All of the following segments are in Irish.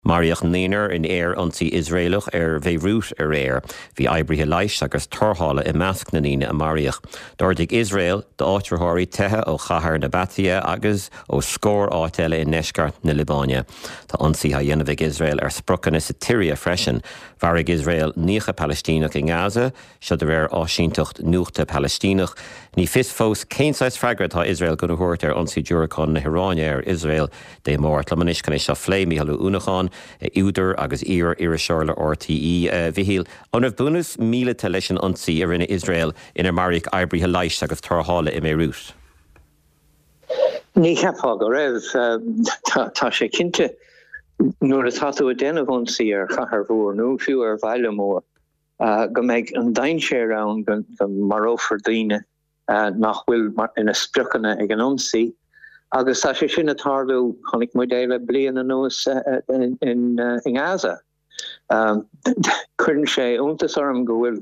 Maraíodh naonúr in aer-ionsaí Iosraelach ar Bhéiriút aréir. Bhí oibrithe leighis agus tarrthála i measc na ndaoine a maraíodh. D'ordaigh Iosrael d'áitritheoirí teitheadh ó chathair Nabatieh agus ó scór áit eile i ndeisceart na Liobáine. Tá ionsaithe á dhéanamh ag Iosrael ar spriocanna sa tSiria freisin. Mharaigh Iosrael 90 Palaistíneach i nGaza. Seo de réir áisínteacht nuachta Palaistíneach. Ní fios fós cén saghas freagra atá Iosrael gona thabhairt ar ionsaí diúracán na hIaráine ar Iosrael Dé Máirt. Liom anois chun é seo a phlé, Mícheál Ó Uanacháin, údar agus iar-iriseoir le RTÉ. A Mhichíl, an raibh bunús míleata leis an ionsaí a rinne Iosrael inar maraíodh oibrithe leighis agus tarrthála i mBéiriút? Ní cheapfá go raibh. Tá sé cinnte nuair atá tú ag déanamh ionsaí ar chathair mhór nó fiú ar bhaile mór, go mbeidh an dainséar ann go marófar daoine nach bhfuil ina spriocanna ag an ionsaí agus tá sé sin ag tarlú, chonaic muid é le bliain anuas i nGaza. Cuireann sé iontas orm go bhfuil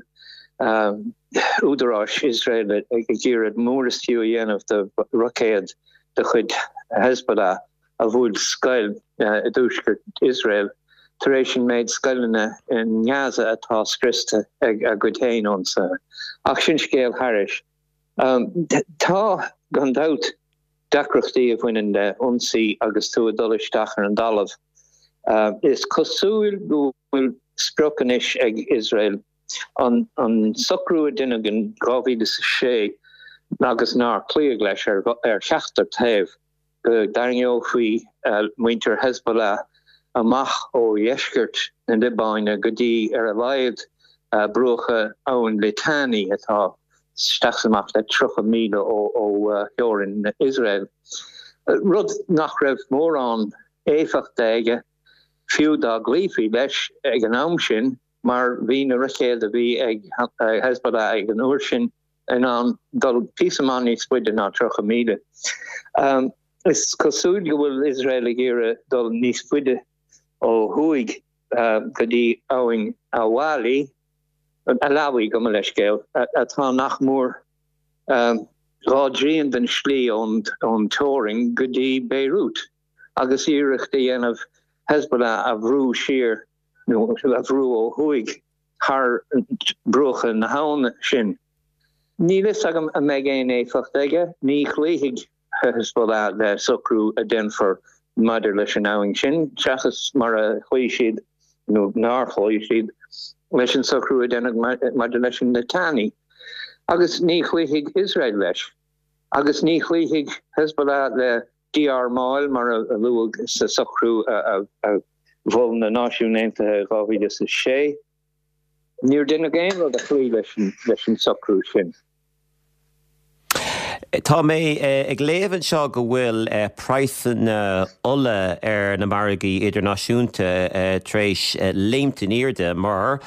údaráis Iosrael ag iarraidh mór is fiú a dhéanamh de roicéad de chuid Hezbollah a bhuail scoil i dtuaisceart Iosrael tar éis an méid scoileanna i nGaza atá scriosta ag a gcuid féin ionsaithe. Ach sin scéal thairis. Tá, gan dabht, deacrachtaí a bhaineann le ionsaí agus tú ag dul isteach ar an dtalamh. Is cosúil go bhfuil sprioc anois ag Iosrael an socrú a deineadh in 2006 agus nár cloíodh leis ar cheachtar taobh. go dtarraingeofaí muintir Hezbollah amach ó dheisceart na Liobáine go dtí, ar a laghad, bruacha Abhainn Litani, atá isteach is amach le 30 míle ó theorainn Iosrael, rud nach raibh mórán éifeachta aige, fiú dá gcloífí leis ag an am sin, mar bhí na roicéid a bhí ag Hezbollah ag an uair sin in ann dul píosa maith níos faide ná 30 míle. Is cosúil go bhfuil Iosrael ag iarraidh dul níos faide ó thuaidh go dtí abhainn Awali, Alawi, gabh mo leithscéal, atá nach mór dhá dtrian den slí ón teorainn go dtí Beirut agus iarracht a dhéanamh Hezbollah a bhrú siar nó a bhrú ó thuaidh. thar bruacha na habhann sin. Níl fhios agam an mbeidh aon éifeacht aige. Ní chloífidh Hezbollah le socrú a déanfar maidir leis an abhainn sin, seachas mar a chloígh siad, nó nár chloígh siad, leis an socrú a deineadh maidir leis an Litani. Agus ní chloífidh Iosrael leis. Agus ní chloífidh Hezbollah le dí-armáil, mar a luadh sa socrú a mhol na Náisiúin Aontaithe i 2006. Níor deineadh aon rud a chloígh leis an socrú sin. Tá mé ag léamh anseo go bhfuil praghsanna ola ar na margaí idirnáisiúnta tar éis léimt in airde mar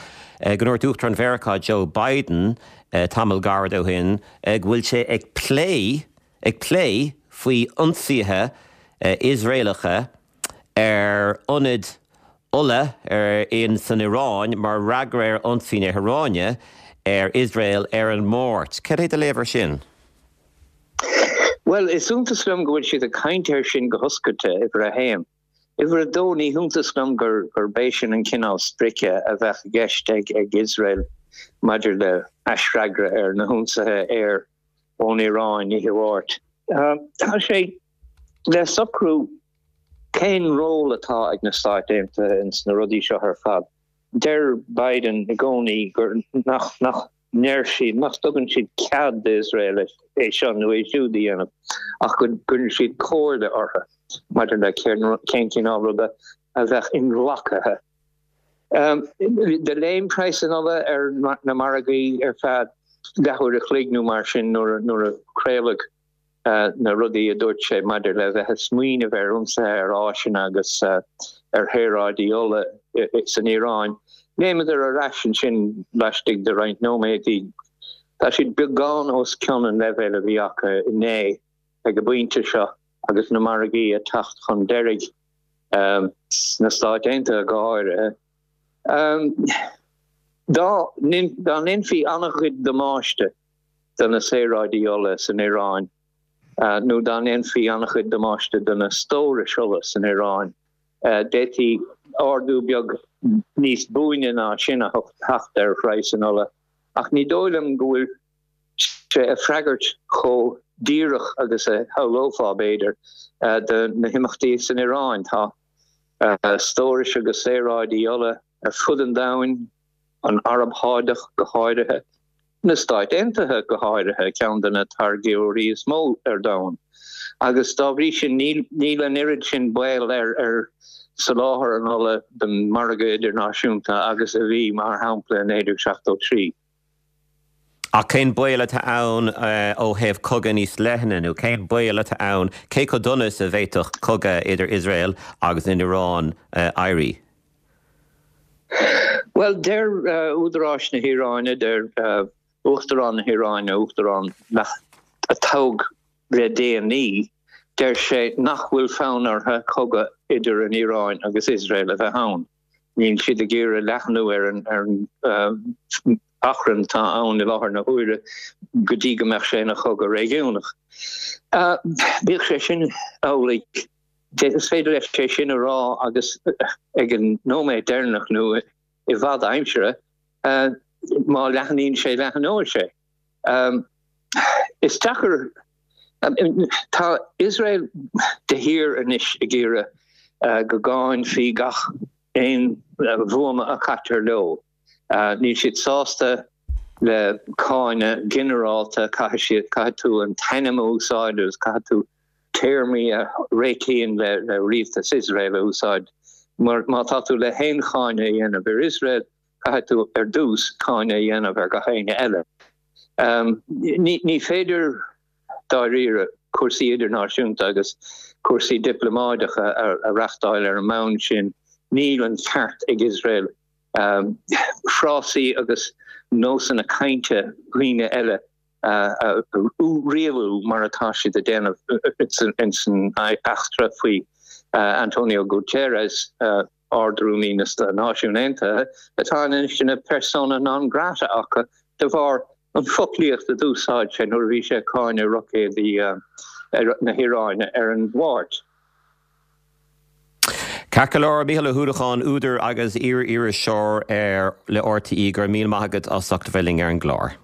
go ndúirt Uachtarán Mheiriceá Joe Biden tamall gairid ó shin go bhfuil sé ag plé ag plé faoi ionsaithe Iosraelacha ar ionaid ola ar in san Iaráin mar fhreagra ar ionsaí na hIaráine ar Iosrael ar an Máirt. Cad é do léamh ar sin? Bhuel, is iontas liom go bhfuil siad ag caint air sin go hoscailte, uimhir a haon. Uimhir a dó, ní hiontas liom gurb é sin an cineál sprice a bheadh i gceist ag Iosrael maidir le haisfhreagra ar na hionsaithe aeir ón Iaráin oíche Mháirt. Tá sé le socrú cén ról atá ag na Stáit Aontaithe ins na rudaí seo ar fad. Deir Biden i gcónaí gur nach nach ndeir siad, nach dtugann siad cead d'Iosrael é seo nó é siúd a dhéanamh ach go gcuireann siad comhairle orthu maidir le cén cineál ruda a bheadh inghlactha. Do léim praghas an ola ar na margaí ar feadh leathuair a chloig nó mar sin nuair a craoladh na rudaí a dúirt sé maidir le bheith ag smaoineamh ar ionsaithe ar áiseanna agus ar shaoráidí ola san Iaráin. Léimeadar ar ais ansin laistigh de roinnt nóiméadaí. Tá siad beagán os cionn an leibhéil a bhí acu inné ag an bpointe seo agus na margaí ag teacht chun deiridh. sna Stáit Aontaithe go háirithe. Dá ndéanfaí an-chuid damáiste do na saoráidí ola san Iaráin nó dá ndéanfaí an-chuid damáiste do na stórais ola san Iaráin, d'fhéadfaí. ardú beag níos buaine ná sin a theacht ar phraghas an ola, ach ní dóigh liom go bhfuil sé ag freagairt chomh díreach agus a shamhlófá, b'fhéidir, do na himeachtaí san Iaráin. Tá stórais agus saoráidí ola ar fud an domhain, an Araib Shádach go háirithe, na Stáit Aontaithe go háirithe, ceann de na táirgeoirí is mó ar domhan, agus dá bhrí sin níl an oiread sin baol ar soláthar an ola don mhargadh idirnáisiúnta agus a bhí, mar shampla, i 1973. Ach cén baol atá ann ó thaobh cogadh níos leithne, nó cén baol atá ann, cé chomh dona is a bhféadfadh cogadh idir Iosrael agus an Iaráin éirí? Bhuel, deir údaráis na hIaráine, deir Uachtarán na hIaráine, Uachtarán a toghadh le déanaí, deir sé nach bhfuil fonn orthu cogadh idir an Iaráin agus Iosrael a bheith ann. Níl siad ag iarraidh leathnú ar an achrann atá ann i láthair na huaire go dtí go mbeadh sé ina chogadh réigiúnach. Bíodh sé sin amhlaidh, is féidir leis é sin a rá agus ag an nóiméad deireanach nó i bhfad aimsire, má leathnaíonn sé, leathnóidh sé. Is deacair. Tá Iosrael de shíor anois ag iarraidh go gcáinfí gach aon bhuama a chaitear leo. Níl siad sásta le cáineadh ginearálta, caithfidh siad, caithfidh tú an t-ainm a úsáid agus caithfidh tú téarmaí a réitíonn le rialtas Iosrael a úsáid. Mar má tá tú le haon cháineadh a dhéanamh ar Iosrael, caithfidh tú ar dtús cáineadh a dhéanamh ar gach éinne eile. Ní féidir dáiríre cúrsaí idirnáisiúnta agus cúrsaí dioplómáideacha a reachtáil ar an mbonn sin. Níl an ceart ag Iosrael frásaí agus nósanna cainte dhaoine eile a rialú mar atá siad ag déanamh ins an eachtra faoi Antonio Guterres. Ard-Rúnaí na Náisiún Aontaithe, atá anois ina persona non grata acu de bharr an foclaíocht a d'úsáid sé nuair a bhí sé ag cáineadh roicéadaí na hIaráine ar an Mháirt. Ceart go leor, Mícheál Ó hUallacháin, údar agus iar-iriseoir ar le RTÉ, go raibh míle maith agat as ucht a bheith linn ar an gclár.